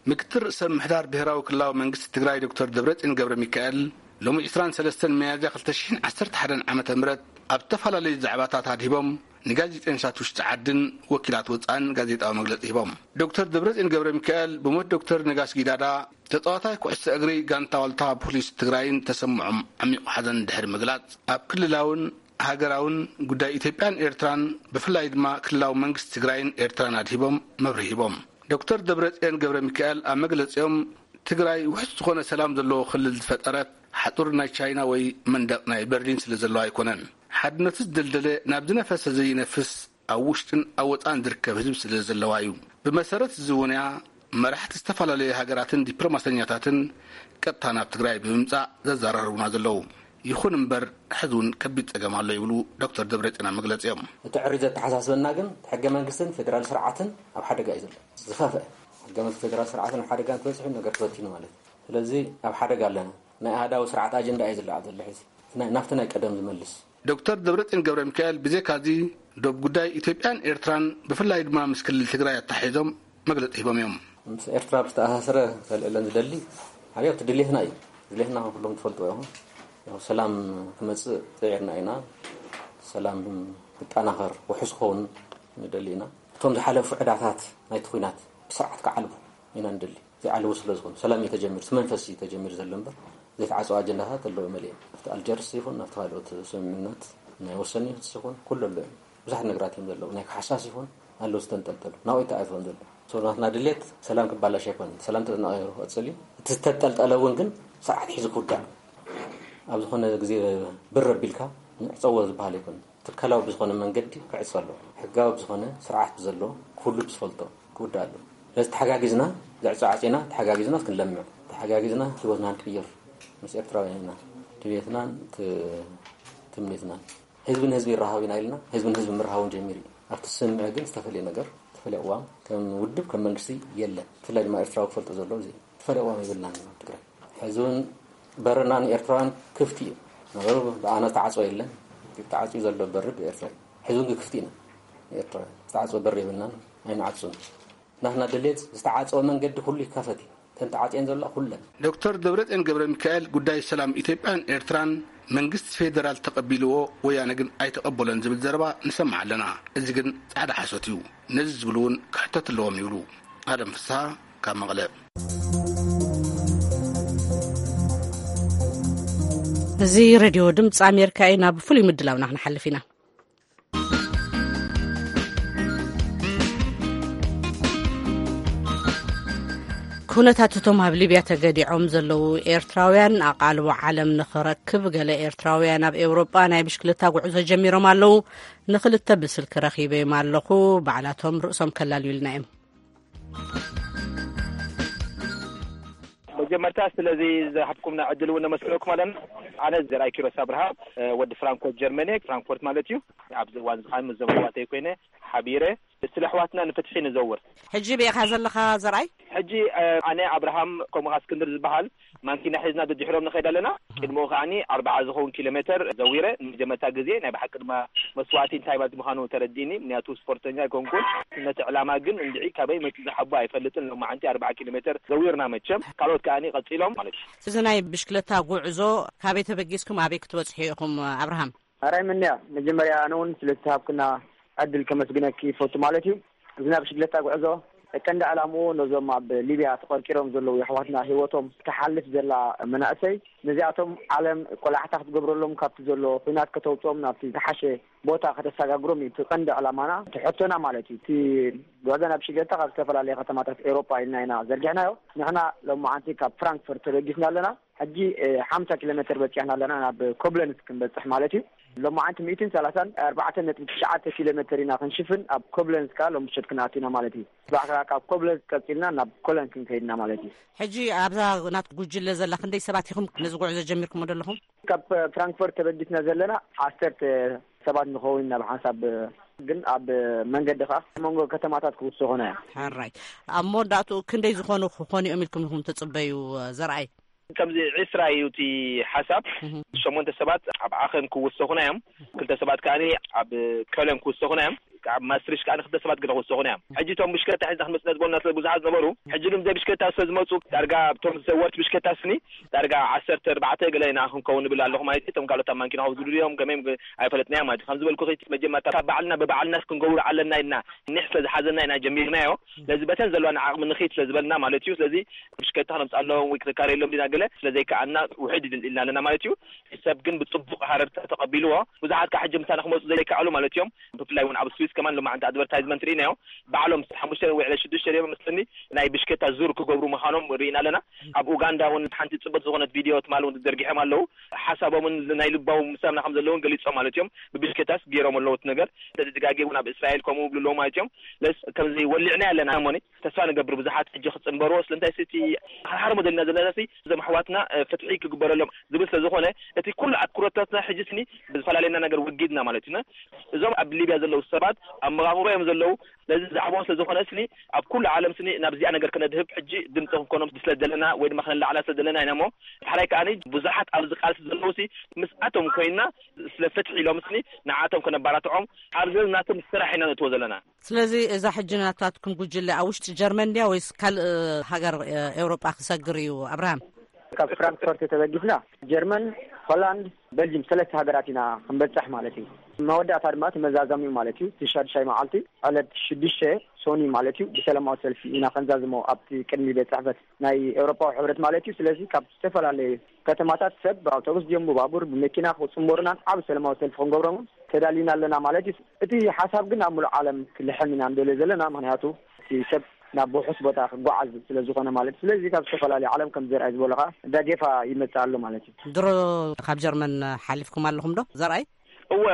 ምክትል ርእሰ ምምሕዳር ብሄራዊ ክልላዊ መንግስቲ ትግራይ ዶክተር ደብረፅዮን ገብረ ሚካኤል፣ ሎሚ ዕስራን ሰለስተን ሚያዝያ ክልተ ሽሕን ዓሰርተ ሓደን ዓመተ ምህረት ኣብ ዝተፈላለዩ ዛዕባታት ኣድሂቦም፣ ንጋዜጠኛታት ውሽጢ ዓድን ወኪላት ወፃእን ጋዜጣዊ መግለፂ ሂቦም። ዶክተር ደብረፅዮን ገብረ ሚካኤል ብሞት ዶክተር ነጋሽ ጊዳዳ፣ ተፃዋታይ ኩዕሶ እግሪ ጋንታ ዋልታ ፖሊስ ትግራይን ተሰምዖም ዓሚቑ ሓዘን ድሕሪ ምግላፅ፣ ኣብ ክልላውን ሃገራውን ጉዳይ ኢትዮጵያን ኤርትራን፣ ብፍላይ ድማ ክልላዊ መንግስቲ ትግራይን ኤርትራን ኣድሂቦም መብርሂ ሂቦም። ዶክተር ደብረጽዮን ገብረ ሚካኤል ኣብ መግለጺኦም፣ ትግራይ ውሑስ ዝኾነ ሰላም ዘለዎ ክልል ዝፈጠረት፣ ሓጹር ናይ ቻይና ወይ መንደቕ ናይ በርሊን ስለ ዘለዋ ኣይኮነን። ሓድነቱ ዝደልደለ፣ ናብ ዝነፈሰ ዘይነፍስ፣ ኣብ ውሽጥን ኣብ ወጻእን ዝርከብ ህዝቢ ስለ ዘለዋ እዩ። ብመሰረት እዚ እውን እያ መራሕቲ ዝተፈላለዩ ሃገራትን ዲፕሎማሰኛታትን ቀጥታ ናብ ትግራይ ብምምጻእ ዘዘራርቡና ዘለዉ። ይኹን እምበር፣ ሕዚ እውን ከቢድ ጸገም ኣሎ ይብሉ ዶክተር ደብረጽዮን ኣብ መግለጺኦም። እቲ ዕሪ ዘተሓሳስበና ግን፣ እቲ ሕገ መንግስትን ፌደራል ስርዓትን ኣብ ሓደጋ እዩ ዘሎ። ዝኸፍአ፣ ሕገ መንግስቲ ፌደራል ስርዓትን ኣብ ሓደጋ እንተበጺሑ፣ ነገር ተበቲኑ ማለት እዩ። ስለዚ ኣብ ሓደጋ ኣለና። ናይ ኣሃዳዊ ስርዓት ኣጀንዳ እዩ ዝለዓል ዘሎ ሕዚ። እቲ ናይ፣ ናብቲ ናይ ቀደም ዝመልስ። ዶክተር ደብረጽዮን ገብረ ሚካኤል፣ ብዘይካ እዚ፣ ዶብ ጉዳይ ኢትዮጵያን ኤርትራን፣ ብፍላይ ድማ ምስ ክልል ትግራይ ኣተሓሒዞም መግለጺ ሂቦም እዮም። ምስ ኤርትራ ብዝተኣሳሰረ ከልዕለን ዝደሊ፣ ሓደ እቲ ድሌትና እዩ። ድሌትና ኩሎም ትፈልጥዎ ኢኹም። ያው ሰላም ክመጽእ ጽዒርና ኢና። ሰላም ክጠናኸር፣ ውሑስ ክኸውን ንደሊ ኢና። እቶም ዝሓለፉ ዕዳታት ናይቲ ኲናት ብስርዓት ክዓልቡ ኢና ንደሊ። ዘይዓልቡ ስለ ዝኾኑ፣ ሰላም እዩ ተጀሚሩ፣ እቲ መንፈስ እዩ ተጀሚሩ ዘሎ እምበር፣ ዘይተዓጽወ ኣጀንዳታት ኣለዉ መሊኦም። ኣብቲ ኣልጀርስ ይኹን፣ ኣብቲ ካልኦት ስምምዕነት ናይ ወሰን ይኹን፣ ኩሉ ኣሎ እዩ። ብዙሓት ነገራት እዮም ዘለዉ። ናይ ካሕሳስ ይኹን ኣለዉ ዝተንጠልጠሉ። ናብኡ ኣይተኣትወን ዘሎ። ሰው ናትና ድሌት ሰላም ክባላሽ ኣይኮነን። ሰላም ተጠናቒሩ ክቕጽል እዩ። እቲ ዝተንጠልጠለ እውን ግን ስርዓት ሒዙ ክውዳእ። ኣብ ዝኾነ ግዜ ብር ኣቢልካ ንዕጸዎ ዝበሃል ኣይኮነን። ትካላዊ ብዝኾነ መንገዲ ክዕጸ ኣለዎ። ሕጋዊ ብዝኾነ ስርዓት ብዘለዎ ኩሉ ብዝፈልጦ ክውዳእ ኣለዎ። ስለዚ ተሓጋጊዝና ዘዕጾ ዓጺና፣ ተሓጋጊዝና ክንለምዕ፣ ተሓጋጊዝና ህይወትና ክንቅይር ምስ ኤርትራውያን ኢና ድሌትናን ት-፣ ትምኒትናን። ህዝቢ ንህዝቢ ይረሃብ ኢና ኢልና፣ ህዝቢ ንህዝቢ ምርሃውን ጀሚሩ እዩ። ኣብቲ ስምምዕ ግን ዝተፈለየ ነገር፣ ዝተፈለየ ቅዋም ከም ውድብ፣ ከም መንግስቲ የለን። ብፍላይ ድማ ኤርትራዊ ክፈልጦ ዘለዎ እዚ እዩ። ዝተፈለየ ቅዋም የብልናን ኣብ ትግራይ። ሕዚ እውን በርና ንኤርትራውያን ክፍቲ እዩ። ነገሩ ብኣና ዝተዓጽወ የለን። ተዓጽዩ ዘሎ በሪ ብኤርትራ እዩ። ሕዚ እውን ግን ክፍቲ ኢና ንኤርትራውያን። ዝተዓጽወ በሪ የብልናን፣ ኣይንዓጹን። ናትና ድሌት ዝተዓጸወ መንገዲ ኩሉ ይከፈት እዩ። እተን ተዓጽየን ዘለዋ ኩለን። ዶክተር ደብረጽዮን ገብረ ሚካኤል፣ ጉዳይ ሰላም ኢትዮጵያን ኤርትራን መንግስቲ ፌደራል ተቐቢልዎ፣ ወያነ ግን ኣይተቐበሎን ዝብል ዘረባ ንሰምዕ ኣለና። እዚ ግን ጻዕዳ ሓሶት እዩ። ነዚ ዝብሉ እውን ክሕተቱ ኣለዎም ይብሉ። ኣለም ፍስሃ ካብ መቐለ። እዚ ሬድዮ ድምፂ ኣሜሪካ እዩ። ናብ ፍሉይ ምድላውና ክንሓልፍ ኢና። ኩነታት እቶም ኣብ ሊብያ ተገዲዖም ዘለዉ ኤርትራውያን ኣቓልቦ ዓለም ንኽረክብ፣ ገለ ኤርትራውያን ኣብ ኤውሮጳ ናይ ብሽክለታ ጉዕዞ ጀሚሮም ኣለዉ። ንኽልተ ብስልኪ ረኺበዮም ኣለኹ። ባዕላቶም ርእሶም ከላልዩልና እዮም። መጀመርታ ስለዚ ዝሃብኩምና ዕድል እውን ነመስግነኩም ኣለና። ኣነ ዘርኣይ ኪሮስ ኣብርሃ፣ እ፣ ወዲ ፍራንኮርት ጀርመን እየ፣ ፍራንክፎርት ማለት እዩ። ኣብዚ እዋን እዚ ከዓ ምስ ዘመድ ኣሕዋተይ ኮይነ ሓቢረ ስለ ኣሕዋትና ንፍትሒ ንዘውር። ሕጂ ብኢኻ ዘለኻ ዘርኣይ? ሕጂ፣ እ፣ ኣነ ኣብርሃም ከምኡ ኸዓ እስክንድር ዝበሃል ማንኪና ሒዝና ደድሕሮም ንኸይድ ኣለና። ቅድሚኡ ከዓኒ ኣርብዓ ዝኸውን ኪሎ ሜተር ዘዊረ ንመጀመርታ ግዜ። ናይ ብሓቂ ድማ መስዋእቲ እንታይ ማለት ምዃኑ ተረዲእኒ። ምክንያቱ ስፖርተኛ ኣይኮንኩን። ነቲ ዕላማ ግን እንድዒ ካበይ መፂኡ ዝሓቦ ኣይፈልጥን። ሎማዓንቲ ኣርብዓ ኪሎ ሜተር ዘዊርና መቸም። ካልኦት ከዓኒ ቀፂሎም ማለት እዩ። እዚ ናይ ብሽክለታ ጉዕዞ ካበይ ተበጊስኩም ኣበይ ክትበፅሑ ኢኹም ኣብርሃም? ኣራይ ምንያ፣ መጀመርያ ኣነ እውን ስለዝተሃብክና ዕድል ከመስግነኪ ይፈቱ ማለት እዩ። እዚ ናይ ብሽክለታ ጉዕዞ ቀንዲ ዕላምኡ ነዞም ኣብ ሊብያ ተቐርቂሮም ዘለዉ የሕዋትና ህይወቶም ትሓልፍ ዘላ መናእሰይ፣ ነዚኣቶም ዓለም ቆላሕታ ክትገብረሎም፣ ካብቲ ዘሎ ኲናት ከተውፅኦም፣ ናብቲ ዝሓሸ ቦታ ከተሰጋግሮም እዩ እቲ ቀንዲ ዕላማና፣ እቲ ሕቶና ማለት እዩ። እቲ ጉዕዞ ናይ ብሽክለታ ካብ ዝተፈላለየ ከተማታት ኤውሮጳ ኢልና ኢና ዘርጊሕናዮ። ንሕና ሎማዓንቲ ካብ ፍራንክፈርት ተበጊስና ኣለና። ሕጂ፣ እ፣ ሓምሳ ኪሎ ሜተር በጺሕና ኣለና፣ ናብ ኮብለንስ ክንበጽሕ ማለት እዩ። ሎማዓንቲ ሚእትን ሰላሳን ኣርባዕተን ነጥቢ ትሽዓተ ኪሎ ሜተር ኢና ክንሽፍን ኣብ ኮብለንስ ከኣ ሎሚ ምሸት ክንኣቱ ኢና ማለት እዩ። ጽባሕ ከኣ ካብ ኮብለንስ ቀጺልና ናብ ኮለን ክንከይድ ኢና ማለት እዩ። ሕጂ ኣብዛ ናት ጉጅለ ዘላ ክንደይ ሰባት ኢኹም ነዚ ጉዕዞ ጀሚርኩሞ ዘለኹም? ካብ፣ እ፣ ፍራንክፈርት ተበጊስና ዘለና ዓሰርተ ሰባት ንኸውን ኢና ብሓንሳብ፣ እ፣ ግን ኣብ መንገዲ ከኣ መንጎ ከተማታት ክውስኹና እዮም። ሕራይ። ኣብ መወዳእትኡ ክንደይ ዝኾኑ ክኾኑ እዮም ኢልኩም ኢኹም ትጽበዩ፣ እ፣ ዘርኣይ? ከምዚ ዕስራ እዩ እቲ ሓሳብ። እህ። ሸሞንተ ሰባት ኣብ ዓኸን ክውሰኹና እዮም። ክልተ ሰባት ከኣ ኣብ ከለን ክውሰኹና እዮም። ኣብ ማስትሪሽ ከኣ ክልተ ሰባት ገለ ክውሰኹና እዮም። ሕጂ እቶም ብሽክለታ ሒዝና ክንመጽእ ነዝቦና ስለ ብዙሓት ነበሩ። ሕጂ ግን ብዘይ ብሽክለታ ስለ ዝመጹ ዳርጋ እቶም ዘወርቲ ብሽክለታ ስኒ ዳርጋ ዓሰርተ ኣርባዕተ ገለ ኢና ክንከውን ንብል ኣለኹ ማለት እዩ። እቶም ካልኦት ኣብ ማንኪና ክውስዱ ድዮም ከመይ ኣይፈለጥናዮ ማለት እዩ። ከም ዝበልኩኺ መጀመርታ ካብ ባዕልና ብባዕልና ክንገብሮ ኣለና ኢልና ኒሕ ስለ ዝሓዘና ኢና ጀሚርናዮ። ስለዚ በተን ዘለዋና ዓቕሚ ንኺድ ስለ ዝበልና ማለት እዩ። ስለዚ ብሽክለታ ክነምፅኣሎም ወይ ክነካረየሎም ዲና ገለ ስለ ዘይከኣልና ውሕድ ኢልና ኣለና ማለት እዩ። ሰብ ግን ብፅቡቕ ሃረርታ ተቐቢልዎ። ብዙሓት ካብ ሕጂ ምሳና ክመፁ ዘይከኣሉ ማለት እዮም። ብፍላይ እውን ኣብ ስዊስ ከማን ሎማዓንቲ ኣድቨርታይዝመንት ርኢናዮ። ባዕሎም ሓሙሽተ ወይ ዕለ ሽዱሽተ ድዮም መስለኒ ናይ ብሽክለታ ዙር ክገብሩ ምዃኖም ርኢና ኣለና። ኣብ ኡጋንዳ እውን ሓንቲ ፅብቕቲ ዝኾነት ቪድዮ ትማሊ እውን ዘርጊሖም ኣለዉ። ሓሳቦምን ናይ ልባዎም ምሳና ከም ዘለውን ገሊፆም ማለት እዮም። ብብሽክለታስ ገይሮም ኣለዉ እቲ ነገር። ስለዚ ድጋጌ እውን ኣብ እስራኤል ከምኡ ይብሉ ኣለዉ ማለት እዮም። ለስ ከምዚ ወሊዕና ኣለና እሞኒ ተስፋ ንገብር ብዙሓት ሕጂ ክጽንበርዎ። ስለምንታይ እቲ ሓርሓር ሞዴልና ዘለና ሲ እዞም ኣሕዋትና፣ እ፣ ፍትሒ ክግበረሎም ዝብል ስለ ዝኾነ እቲ ኩሉ ኣትኩሮታትና ሕጂ ስኒ ብዝፈላለየና ነገር ወጊድና ማለት እዩ። እዞም ኣብ ሊብያ ዘለዉ ሰባት ኣብ መቓብሮ እዮም ዘለዉ። ስለዚ ዛዕባኦም ስለ ዝኾነ ስኒ ኣብ ኩሉ ዓለም ስኒ ናብዚኣ ነገር ከነድህብ ሕጂ ድምፂ ክንኮኖም ስለ ዘለና ወይ ድማ ከነላዕላ ስለ ዘለና ኢና እሞ፣ ዳሕራይ ከኣ ብዙሓት ኣብዚ ቃልሲ ዘለዉ ሲ ምስኣቶም ኮይንና ስለ ፍትሒ ኢሎም ስኒ ንዓቶም ከነባራትዖም ኣብ ዘለናቶም ስራሕ ኢና ነእትዎ ዘለና። ስለዚ እዛ ሕጂ ናታትኩም ጉጅለ ኣብ ውሽጢ ጀርመን ድያ ወይስ ካልእ ሃገር፣ እ፣ ኤውሮጳ ክሰግር እዩ ኣብርሃም? ካብ ፍራንክፈርት ተበጊስና ጀርመን፣ ሆላንድ፣ በልጅም ሰለስተ ሃገራት ኢና ክንበጽሕ ማለት እዩ። መወዳእታ ድማ እቲ መዛዘሚኡ ማለት እዩ። እቲ ሻድሻይ መዓልቲ ዕለት ሽዱሽተ ሶኒ ማለት እዩ ብሰላማዊ ሰልፊ ኢና ከንዛዝሞ ኣብቲ ቅድሚ ቤት ጽሕፈት ናይ ኤውሮጳዊ ሕብረት ማለት እዩ። ስለዚ ካብ ዝተፈላለየ ከተማታት ሰብ ብኣውቶቡስ ድዮም ብባቡር ብመኪና ክጽንበሩናን ዓቢ ሰላማዊ ሰልፊ ክንገብሮም ተዳሊና ኣለና ማለት እዩ። እቲ ሓሳብ ግን ኣብ ሙሉእ ዓለም ክልሕም ኢና ንደልዮ ዘለና፣ ምኽንያቱ እቲ ሰብ ናብ ውሑስ ቦታ ክጓዓዝ ስለ ዝኾነ ማለት እዩ። ስለዚ ካብ ዝተፈላለዩ ዓለም ከም ዘርኣይ ዝበሉኻ ዳጌፋ ይመጽእ ኣሎ ማለት እዩ። ድሮ ካብ ጀርመን ሓሊፍኩም ኣለኹም ዶ ዘርኣይ? እወ፣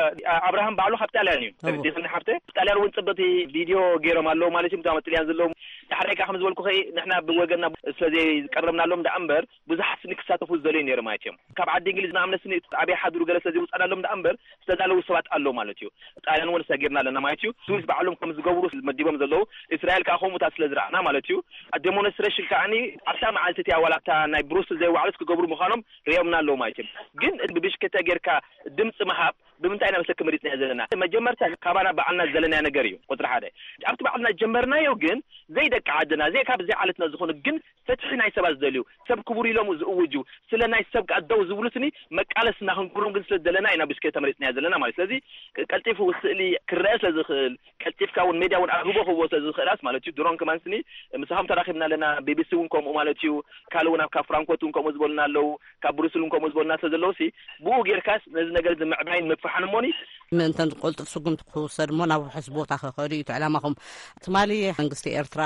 ኣብርሃም ባዕሉ ካብ ጣልያን እዩ። እወ። ተረዲእክኒ ሓፍተ? ጣልያን እውን ጽብቕቲ ቪድዮ ገይሮም ኣለዉ ማለት እዮም። እቶም ኣብ ጥልያን ዘለዉ ዳሕራይ ከዓ ከም ዝበልኩ ኸይ ንሕና ብወገንና ስለ ዘይቀረብናሎም ደኣ እምበር ብዙሓት ስኒ ክሳተፉ ዝደልዩ ነይሩ ማለት እዮም። ካብ ዓዲ እንግሊዝ ንኣብነት ስኒ ኣብይ ሓድሩ ገለ ስለ ዘይውፃናሎም ደኣ እምበር ዝተዳለዉ ሰባት ኣለዉ ማለት እዩ። ጣልያን እውን ሰጊርና ኣለና ማለት እዩ። ስዊስ ባዕሎም ከም ዝገብሩ መዲቦም ዘለዉ እስራኤል ከዓ ከምኡታት ስለ ዝረኣና ማለት እዩ። ዴሞንስትሬሽን ከዓኒ ኣብታ መዓልቲ እቲኣ ዋላ ኣብታ ናይ ብሩስል ዘይዋዕሉስ ክገብሩ ምዃኖም ርእዮምና ኣለዉ ማለት እዮም። ግን ብብሽክለታ ጌርካ ድምፂ ምሃብ ብምንታይ ኢና መሰኪ መሪፅና ዘለና? መጀመርታ ካባና ባዕልና ዘለናዮ ነገር እዩ ቁፅሪ ሓደ። ኣብቲ ባዕልና ጀመርናዮ ግን ዘይደቂ ዓድና፣ ዘይ ካብ ዘይ ዓለትና ዝኾኑ ግን ፍትሒ ናይ ሰባት ዝደልዩ፣ ሰብ ክቡር ኢሎም ዝእውጁ፣ ስለ ናይ ሰብ ከኣ ደው ዝብሉ ስኒ መቃለስና ክንገብሮም ግን ስለ ዝደለና ኢና ብሽክለታ መሪፅናዮ ዘለና ማለት። ስለዚ ቀልጢፉ ስእሊ ክረአ ስለ ዝኽእል፣ ቀልጢፍካ እውን ሜድያ እውን ኣግቦ ክህቦ ስለ ዝኽእላስ ማለት እዩ። ድሮን ከማን ስኒ ምሳኹም ተራኺብና ኣለና፣ ቢቢሲ እውን ከምኡ ማለት እዩ። ካልእ እውን ኣብ ካብ ፍራንኮት እውን ከምኡ ዝበሉና ኣለዉ፣ ካብ ብሩስል እውን ከምኡ ዝበሉና ስለ ዘለዉ ሲ ብኡ ጌርካስ ነዚ ነገር እዚ ምዕባይን ምፍሓን እሞኒ ምእንተን ዝቆልጥፍ ስጉምቲ ክውሰድ እሞ ናብ ውሑስ ቦታ ክኸዱ እዩ እቲ ዕላማኹም። ትማሊ መንግስቲ ኤርትራ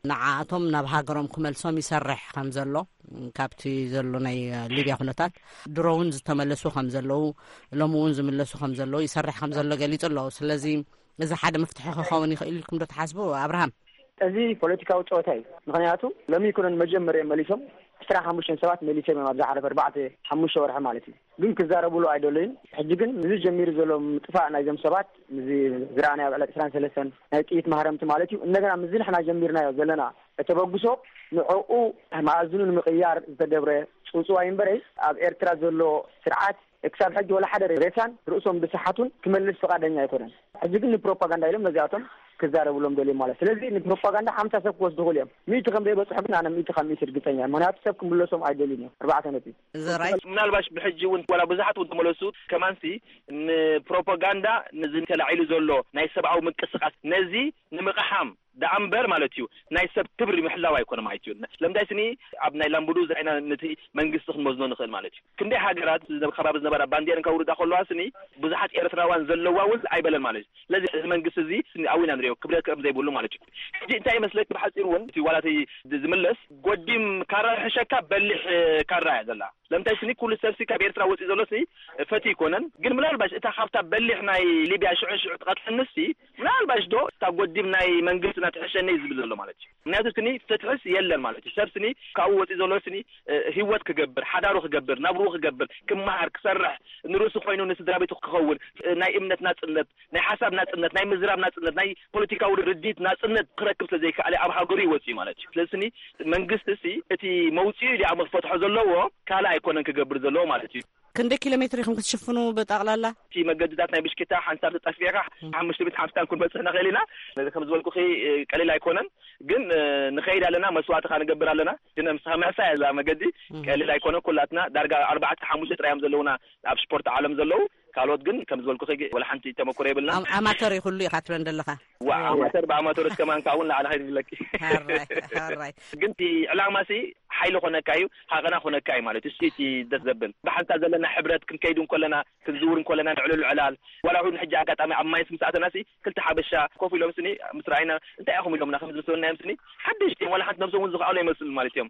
ንዓኣቶም ናብ ሃገሮም ክመልሶም ይሰርሕ ከም ዘሎ፣ ካብቲ ዘሎ ናይ ሊብያ ኩነታት ድሮ እውን ዝተመለሱ ከም ዘለዉ፣ ሎሚ እውን ዝምለሱ ከም ዘለዉ፣ ይሰርሕ ከም ዘሎ ገሊጹ ኣሎ። ስለዚ እዚ ሓደ መፍትሒ ክኸውን ይኽእል ኢልኩም ዶ ትሓስቡ ኣብርሃም? እዚ ፖለቲካዊ ጸወታ እዩ። ምኽንያቱ ሎሚ ይኩነን መጀመርያ መሊሶም ዕስራን ሓሙሽተን ሰባት መሊሶም እዮም፣ ኣብዚ ሓለፈ ኣርባዕተ ሓሙሽተ ወርሒ ማለት እዩ። ግን ክዛረብሉ ኣይደለዩን። ሕጂ ግን እዚ ጀሚሩ ዘሎ ምጥፋእ ናይዞም ሰባት፣ እዚ ዝረኣናዮ ኣብ ዕለት ዕስራን ሰለስተን ናይ ጥይት ማህረምቲ ማለት እዩ፣ እንደገና ምስዚ ንሕና ጀሚርናዮ ዘለና ተበግሶ ንዕኡ መኣዝኑ ንምቕያር ዝተገብረ ጽውጽዋይ እምበረይ፣ ኣብ ኤርትራ ዘሎ ስርዓት ክሳብ ሕጂ ወላ ሓደ ሬሳን ርእሶም ዝሰሓቱን ክመልስ ፍቓደኛ ኣይኮነን። ሕጂ ግን ንፕሮፓጋንዳ ኢሎም ነዚኣቶም ክዛረብሎም ደልዮም ማለት። ስለዚ ንፕሮፓጋንዳ ሓምሳ ሰብ ክወስዱ ይኽእሉ እዮም። ሚእቲ ከም ዘይበጽሑ ግን ኣነ ሚእቲ ካብ ሚእቲ ርግጸኛ እየ። ምኽንያቱ ሰብ ክምለሶም ኣይደልዩን እዮም። ኣርባዕተ ነጥቢ። ዘራይ ምናልባሽ ብሕጂ እውን ዋላ ብዙሓት እውን ተመለሱ ከማንሲ ንፕሮፓጋንዳ ነዚ ተላዒሉ ዘሎ ናይ ሰብኣዊ ምንቅስቃስ ነዚ ንምቕሓም ደኣ እምበር ማለት እዩ ናይ ሰብ ክብሪ ምሕላው ኣይኮነ ማለት እዩ። ስለምንታይ ስኒ ኣብ ናይ ላምቡዱ ዝረኣይና ነቲ መንግስቲ ክንመዝኖ ንኽእል ማለት እዩ። ክንደይ ሃገራት ዝነ- ከባቢ ዝነበራ ባንዴረን ከውርዳ ከለዋ ስኒ ብዙሓት ኤርትራውያን ዘለዋ እውን ኣይበለን ማለት እዩ። ስለዚ እዚ መንግስቲ እዚ ስኒ ኣዊና ንሪኦ ክብረት ከም ዘይብሉ ማለት እዩ። ሕጂ እንታይ ይመስለክ ብሓፂሩ እውን እቲ ዋላ እቲ ዝ- ዝምለስ ጎዲም ካራ ሕሸካ በሊሕ ካራ እያ ዘላ። ለምታይ ስኒ ኩሉ ሰብሲ ካብ ኤርትራ ወፂ ዘሎ ሲ ፈቲ ይኮነን ግን ምናልባሽ እታ ካብታ በሊሕ ናይ ሊብያ ሽዑ ሽዑ ትቐትለንሲ ምናልባሽ ዶ እታ ጎዲም ናይ መንግስትና ትሕሸኒ ዝብል ዘሎ ማለት እዩ። ምክንያቱ ስኒ ፍትሕስ የለን ማለት እዩ። ሰብ ስኒ ካብኡ ወፂ ዘሎ ስኒ እ፣ ህይወት ክገብር ሓዳሩ ክገብር ናብሩ ክገብር ክመሃር ክሰርሕ ንርእሱ ኮይኑ ንስድራ ቤቱ ክኸውን እ፣ ናይ እምነት ናፅነት ናይ ሓሳብ ናፅነት ናይ ምዝራብ ናፅነት ናይ ፖለቲካዊ ርድኢት ናፅነት ክረክብ ስለዘይከኣለ ኣብ ሃገሩ ይወፅእ ማለት እዩ። ስለዚ ስኒ መንግስቲ ሲ እቲ መውፅኡ ኢሉ ኣብ ክፈትሖ ዘለዎ ካልእ ኣይኮነን ክገብር ዘለዎ ማለት እዩ። ክንደይ ኪሎ ሜትር ኢኹም ክትሽፍኑ ብጠቕላላ? እቲ መገድታት ናይ ብሽክታ ሓንሳብ ተጠፊእካ ሓሙሽተ ሚእቲ ሓምሳን ክንበፅሕ ንኽእል ኢና። ነዚ ከም ዝበልኩኺ ቀሊል ኣይኮነን፣ ግን ንኸይድ ኣለና፣ መስዋእትኻ ንገብር ኣለና። ግን ምሳኻ ምሕሳይ እያ እዛ መገዲ ቀሊል ኣይኮነ። ኩላትና ዳርጋ ኣርባዕተ ሓሙሽተ ጥራይ እዮም ዘለውና ኣብ ስፖርት ዓለም ዘለዉ። ካልኦት ግን ከም ዝበልኩኺ ወላ ሓንቲ ተመክሮ የብልና። ኣም- ኣማተር እዩ ኩሉ ኢኻ ትብለን ዘለኻ። ዋ ኣማተር ብኣማተሮች ከማን ካብኡ ንላዕሊ ከይድብለኪ። ሃራይ ሃራይ። ግን እቲ ዕላማ ሲ ሓይሊ ኮነካ እዩ፣ ሃቐና ኮነካ እዩ ማለት እዩ። እሱ እቲ ደስ ዘብል ብሓንሳብ ዘለና ሕብረት ክንከይድ እንኮለና ክንዝውር እንኮለና ንዕልሉ ዕላል ዋላ እውን ሕጂ ኣጋጣሚ ኣብ ማይስ ምስ ኣተና ሲ ክልተ ሓበሻ ኮፍ ኢሎም ስኒ ምስ ረኣይና እንታይ ኢኹም ኢሎምና ከም ዝመስለና እዮም ስኒ ሓደሽቲ እዮም ዋላ ሓንቲ ነብሶም እውን ዝኸኣሉ ኣይመስሉን ማለት እዮም።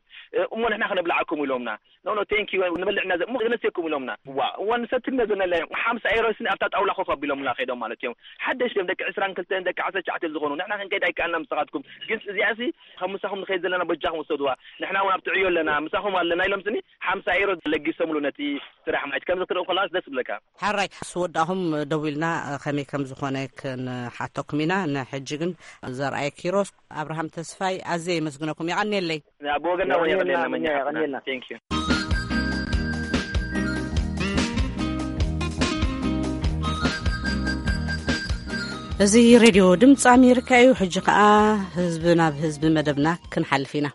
እሞ ንሕና ከነብልዓኩም ኢሎምና ኖ ኖ ቴንክ ዩ ንበልዕና ዘ- እሞ ክነስየኩም ኢሎምና ዋ እዋ ንሰትነ ዘነለ ሓምሳ ኤሮ ስኒ ኣብታ ጣውላ ኮፍ ኣቢሎምና ከይዶም ማለት እዮም። ሓደሽ እዮም ደቂ ዕስራን ክልተን ደቂ ዓሰርተ ትሽዓተ እዮም ዝኾኑ ንሕና ክንከይድ ኣይከኣልና ምሳኻትኩም ግን እዚኣ ሲ ካብ ምሳኹም ንኸይድ ዘለና በጃኹም ውሰድዋ ንሕና እውን ኣብቲ ዕዮ ኣለና ምሳኹም ኣለና ኢሎም ስኒ ሓምሳ ኤሮ ለጊሶምሉ ነቲ ስራሕ ማለት ከምዚ ክትርኢ ከለዋስ ደስ ብለካ። ሓራይ ስወዳኹም ደዊልና ከመይ ከም ዝኾነ ክንሓተኩም ኢና። ንሕጂ ግን ዘርኣየ ኪሮስ ኣብርሃም ተስፋይ ኣዝየ የመስግነኩም። የቐንየለይ። ብወገና እውን የቐንየልና የቐንየልና መኛ ሓፍትና። የቐንየልና። Thank you። እዚ ሬድዮ ድምፂ ኣሜሪካ እዩ። ሕጂ ከዓ ህዝቢ ናብ ህዝቢ መደብና ክንሓልፍ ኢና።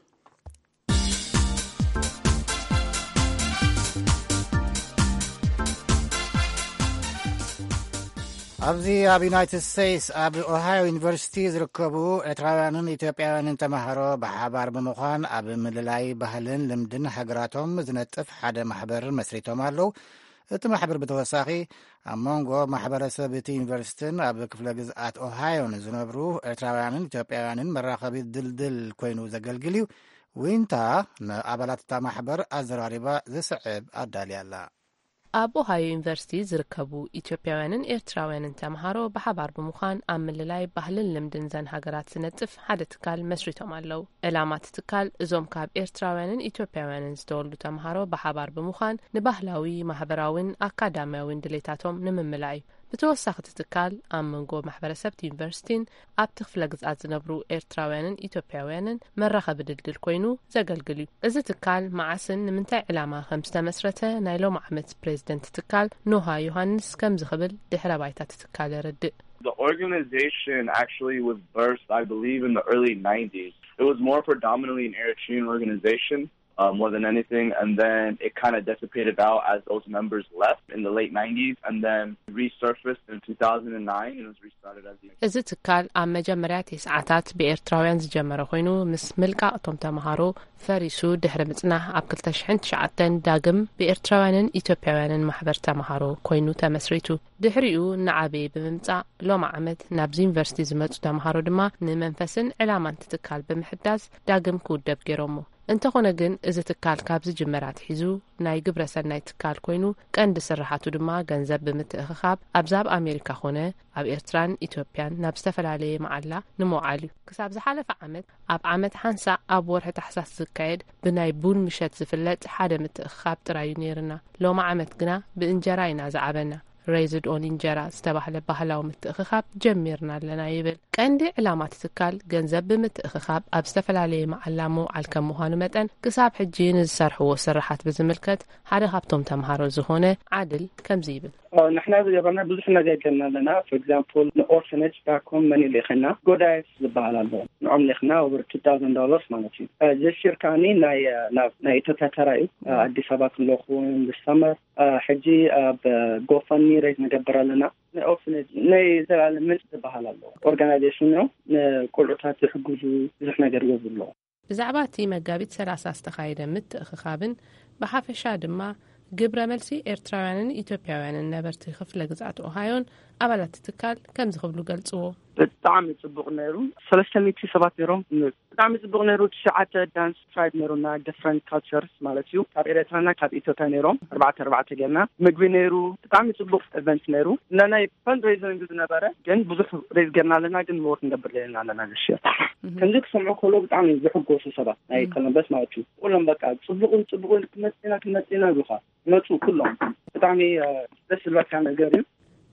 ኣብዚ ኣብ ዩናይትድ ስቴትስ ኣብ ኦሃዮ ዩኒቨርሲቲ ዝርከቡ ኤርትራውያንን ኢትዮጵያውያንን ተማሃሮ ብሓባር ብምዃን ኣብ ምልላይ ባህልን ልምድን ሃገራቶም ዝነጥፍ ሓደ ማሕበር መስሪቶም ኣለዉ። እቲ ማሕበር ብተወሳኺ ኣብ መንጎ ማሕበረሰብ እቲ ዩኒቨርሲቲን ኣብ ክፍለ ግዝኣት ኦሃዮን ዝነብሩ ኤርትራውያንን ኢትዮጵያውያንን መራኸቢ ድልድል ኮይኑ ዘገልግል እዩ። ዊንታ ንኣባላት እታ ማሕበር ኣዘራሪባ ዝስዕብ ኣዳልያ ኣላ። ኣብ ኦሃዮ ዩኒቨርሲቲ ዝርከቡ ኢትዮጵያውያንን ኤርትራውያንን ተምሃሮ ብሓባር ብምዃን ኣብ ምልላይ ባህልን ልምድን ዘን ሃገራት ዝነጥፍ ሓደ ትካል መስሪቶም ኣለዉ። ዕላማ እቲ ትካል እዞም ካብ ኤርትራውያንን ኢትዮጵያውያንን ዝተወልዱ ተምሃሮ ብሓባር ብምዃን ንባህላዊ፣ ማህበራዊን ኣካዳሚያዊን ድሌታቶም ንምምላእ እዩ። ብተወሳኺ እቲ ትካል ኣብ መንጎ ማሕበረሰብ እቲ ዩኒቨርሲቲን ኣብቲ ክፍለ ግዝኣት ዝነብሩ ኤርትራውያንን ኢትዮጵያውያንን መራኸቢ ድልድል ኮይኑ ዘገልግል እዩ። እዚ ትካል መዓስን ንምንታይ ዕላማ ከም ዝተመስረተ ናይ ሎም ዓመት ፕሬዝደንት ትካል ኖሃ ዮሃንስ ከምዚ ክብል ድሕረ ባይታ እቲ ትካል የረድእ። The organization actually was birthed, I believe, in the early nineties. It was more predominantly an Eritrean organization, uh, more than anything, and then it kind of dissipated out as those members left in the late nineties, and then resurfaced in two thousand nine and was restarted as the እዚ ትካል ኣብ መጀመርያ ቴስዓታት ብኤርትራውያን ዝጀመረ ኮይኑ ምስ ምልቃቕ እቶም ተምሃሮ ፈሪሱ ድሕሪ ምጽናሕ ኣብ ክልተ ሽሕን ትሽዓተን ዳግም ብኤርትራውያንን ኢትዮጵያውያንን ማሕበር ተምሃሮ ኮይኑ ተመስሪቱ። ድሕሪኡ እናዓበየ ብምምጻእ ሎም ዓመት ናብዚ ዩኒቨርሲቲ ዝመጹ ተምሃሮ ድማ ንመንፈስን ዕላማን እቲ ትካል ብምሕዳስ ዳግም ክውደብ ገይሮሞ። እንተኾነ ግን፣ እዚ ትካል ካብ ዝጅመር ኣትሒዙ ናይ ግብረ ሰናይ ትካል ኮይኑ፣ ቀንዲ ስርሓቱ ድማ ገንዘብ ብምትእኽኻብ ኣብዛ ኣብ ኣሜሪካ ኾነ ኣብ ኤርትራን ኢትዮጵያን ናብ ዝተፈላለየ መዓላ ንምውዓል እዩ። ክሳብ ዝሓለፈ ዓመት፣ ኣብ ዓመት ሓንሳእ ኣብ ወርሒ ታሕሳስ ዝካየድ ብናይ ቡን ምሸት ዝፍለጥ ሓደ ምትእኽኻብ ጥራይ እዩ ነይርና። ሎሚ ዓመት ግና ብእንጀራ ኢና ዝዓበና። ሬዝድ ኦን እንጀራ ዝተባህለ ባህላዊ ምትእኽኻብ ጀሚርና ኣለና ይብል። ቀንዲ ዕላማ እቲ ትካል ገንዘብ ብምትእኽኻብ ኣብ ዝተፈላለየ መዓላ ምውዓል ከም ምዃኑ መጠን፣ ክሳብ ሕጂ ንዝሰርሕዎ ስርሓት ብዝምልከት ሓደ ካብቶም ተምሃሮ ዝኾነ ዓድል ከምዚ ይብል። ንሕና ዝገበርና ብዙሕ ነገር ገርና ኣለና። For example ንኦርፈነጅ ባኮም መኒ ልእኽና ጎዳይፍ ዝበሃል ኣሎ። ንዖም ልእኽና over two thousand dollars ማለት እዩ። ጀስር ከዓኒ ናይ ናብ ናይ ኢትዮጵያ ተራ እዩ። ኣዲስ ኣበባ ክለኹ this summer ሕጂ ኣብ ጎፈኒ ሬዝ ንገብር ኣለና። ናይ ኦርፍነጅ ናይ ዘላለም ምንጭ ዝበሃል ኣሎ። ኦርጋናይዜሽን ነው። ንቆልዑታት ዝሕግዙ ብዙሕ ነገር ይገብሩ ኣለዉ። ብዛዕባ እቲ መጋቢት ሰላሳ ዝተኻየደ ምትእኽኻብን ብሓፈሻ ድማ ግብረ መልሲ ኤርትራውያንን ኢትዮጵያውያንን ነበርቲ ክፍለ ግዝኣት ኦሃዮን ኣባላት ትካል ከምዚ ክብሉ ገልጽዎ። ብጣዕሚ ጽቡቕ ነይሩ። ሰለስተ ሚእቲ ሰባት ነይሮም። ብጣዕሚ ጽቡቕ ነይሩ። ትሽዓተ ዳንስ ትራይብ ነይሩና፣ ዲፍረንት ካልቸርስ ማለት እዩ። ካብ ኤርትራና ካብ ኢትዮጵያ ነይሮም። ኣርባዕተ ኣርባዕተ ጌርና ምግቢ ነይሩ። ብጣዕሚ ጽቡቕ ኢቨንት ነይሩ። እና ናይ ፈንድሬይዚንግ ዝነበረ ግን ብዙሕ ሬዝ ጌርና ኣለና፣ ግን ሞር ክንገብር ደሊና ኣለና this year። ከምዚ ክሰምዑ ከሎ ብጣዕሚ ዝሕጎሱ ሰባት ናይ ኮሎምበስ ማለት እዩ። ኩሎም በቃ ጽቡቕን ጽቡቕን ክመጽና ክመጽና ይብሉኻ። መጹ ኩሎም። ብጣዕሚ ደስ ዝብለካ ነገር እዩ።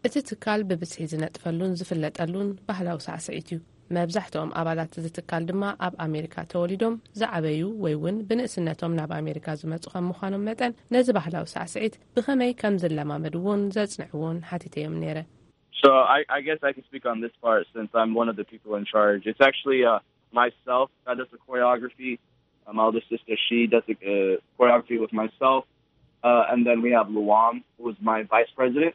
እቲ ትካል ብብዝሒ ዝነጥፈሉን ዝፍለጠሉን ባህላዊ ሳዕስዒት እዩ። መብዛሕትኦም ኣባላት እዚ ትካል ድማ ኣብ ኣሜሪካ ተወሊዶም ዝዓበዩ ወይ እውን ብንእስነቶም ናብ ኣሜሪካ ዝመጹ ከም ምዃኖም መጠን፣ ነዚ ባህላዊ ሳዕስዒት ብኸመይ ከም ዝለማመድዎን ዘጽንዕዎን ሓቲተዮም ነይረ። So I, I guess I can speak on this part since I'm one of the people in charge. It's actually uh, myself that does the choreography. Uh, my older sister, she does the uh, choreography with myself. Uh, and then we have Luam, who is my vice president.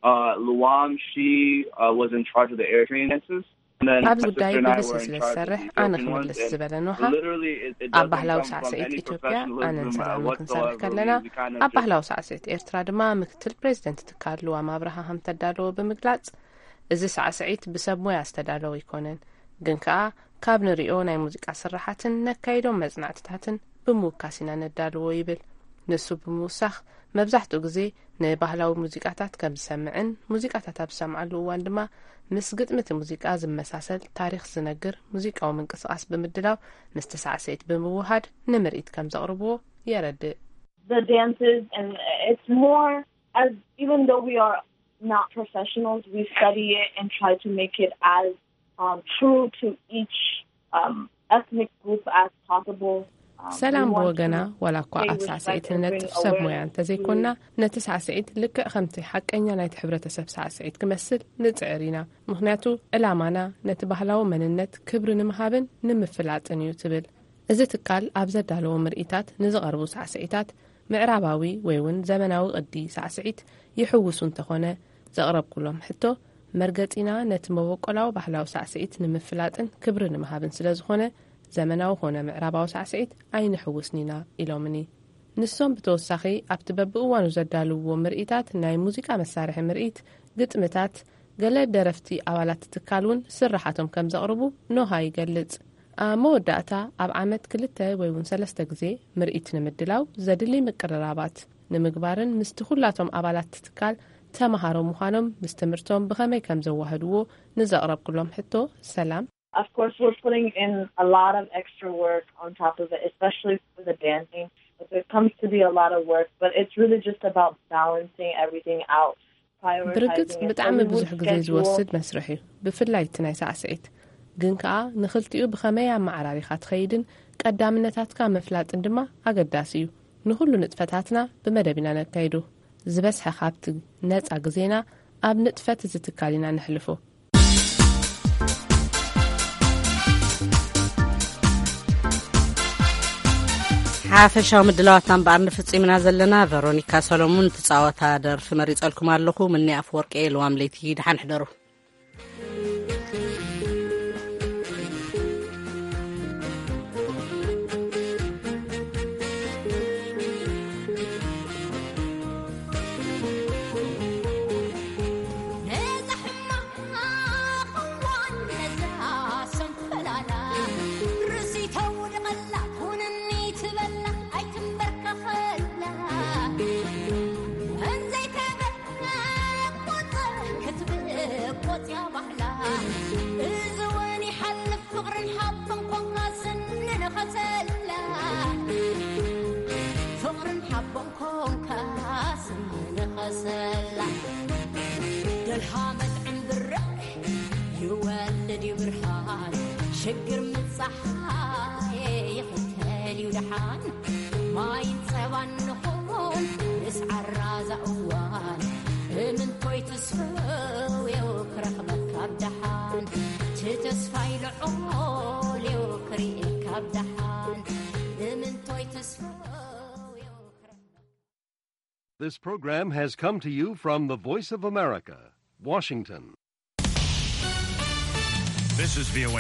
Uh, Luam, she uh, was in charge of the air train dances. And then ኣብዚ my ጉዳይ sister and I ብብዝሒ were in ስለ charge of ዝሰርሕ the ኣነ Ethiopian ones. ክምልስ And ዝበለ ኖሃ literally, it, it ኣብ doesn't ባህላዊ come from ሳዕስዒት any ኢትዮጵያ ኣነን professionalism ሰላምን or ክንሰርሕ whatsoever. ከለና We, we kind of ኣብ ባህላዊ ሳዕስዒት ኤርትራ ድማ ምክትል ፕሬዚደንት ትካል ልዋም ኣብርሃ ከም ተዳለወ ብምግላጽ፣ እዚ ሳዕስዒት ብሰብ ሞያ ዝተዳለወ ኣይኮነን፣ ግን ከኣ ካብ ንሪኦ ናይ ሙዚቃ ስርሓትን ነካይዶም መጽናዕትታትን ብምውካስ ኢና ነዳልዎ ይብል። ንሱ ብምውሳኽ፣ መብዛሕትኡ ግዜ ንባህላዊ ሙዚቃታት ከም ዝሰምዕን ሙዚቃታት ኣብ ዝሰምዓሉ እዋን ድማ ምስ ግጥሚ እቲ ሙዚቃ ዝመሳሰል ታሪኽ ዝነግር ሙዚቃዊ ምንቅስቓስ ብምድላው ምስቲ ሳዕስዒት ብምውሃድ ንምርኢት ከም ዘቕርብዎ የረድእ። The dances and it's more as even though we are not professionals, we study it and try to make it as um, true to each um, ethnic group as possible. Um, ሰላም we want ብወገና to ዋላ እኳ stay ኣብ ሳዕስዒት respectful and ንነጥፍ bring ሰብ ሞያ awareness እንተዘይኮንና፣ to ነቲ ሳዕስዒት ልክዕ ከምቲ ሓቀኛ ናይቲ ሕብረተሰብ ሳዕስዒት ክመስል ንጽዕር ኢና። ምኽንያቱ ዕላማና ነቲ ባህላዊ መንነት ክብሪ ንምሃብን ንምፍላጥን እዩ ትብል። እዚ ትካል ኣብ ዘዳለዎ ምርኢታት ንዝቐርቡ ሳዕስዒታት ምዕራባዊ ወይ እውን ዘመናዊ ቅዲ ሳዕስዒት ይሕውሱ እንተኾነ፣ ዘቕረብኩሎም ሕቶ መርገጺና ነቲ መበቆላዊ ባህላዊ ሳዕስዒት ንምፍላጥን ክብሪ ንምሃብን ስለ ዝኾነ፣ ዘመናዊ ኾነ ምዕራባዊ ሳዕስዒት ኣይንሕውስን ኢና ኢሎምኒ። ንሶም ብተወሳኺ ኣብቲ በብእዋኑ ዘዳልውዎ ምርኢታት ናይ ሙዚቃ መሳርሒ ምርኢት፣ ግጥምታት፣ ገለ ደረፍቲ ኣባላት ትካል እውን ስርሓቶም ከም ዘቕርቡ ኖሃ ይገልጽ። ኣብ መወዳእታ ኣብ ዓመት ክልተ ወይ እውን ሰለስተ ግዜ ምርኢት ንምድላው ዘድሊ ምቅርራባት ንምግባርን ምስቲ ኩላቶም ኣባላት ትካል ተመሃሮ ምዃኖም ምስ ትምህርቶም ብኸመይ ከም ዘዋህድዎ ንዘቕረብኩሎም ሕቶ ሰላም። Of course, we're putting in a lot of extra work on top of it, especially for the dancing. It comes to be a lot of work, but it's really just about balancing everything out. ብርግጽ ብጣዕሚ ብዙሕ ግዜ ዝወስድ መስርሕ እዩ፣ ብፍላይ እቲ ናይ ሳዕስዒት። ግን ከኣ ንኽልቲኡ ብኸመይ ኣመዓራሪኻ ትኸይድን ቀዳምነታትካ ምፍላጥን ድማ ኣገዳሲ እዩ። ንኹሉ ንጥፈታትና ብመደብ ኢና ነካይዶ። ዝበዝሐ ካብቲ ነጻ ግዜና ኣብ ንጥፈት እዚ ትካል ኢና ነሕልፎ። ሓፈሻዊ ምድላዋትና እምበኣር ንፍጺምና ዘለና። ቨሮኒካ ሰሎሙን ትጻወታ ደርፊ መሪጸልኩም ኣለኹ። ምኒ ኣፍወርቂ፣ ልዋም ለይቲ፣ ደሓን ሕደሩ። ሽግር ምጻሓይ ይኽተል እዩ ደሓን። ማይን ጸባን ንኹን ምስ ዓራዛ እዋን። ብምንቶይ ትስፈው እዩ ክረኽበካ ኣብ ደሓን። እቲ ተስፋይ ልዑል እዩ ክርእየካ ኣብ ደሓን። ብምንቶይ ትስፈው እዩ ክረኽበካ። This program has come to you from the Voice of America, Washington. This is V O A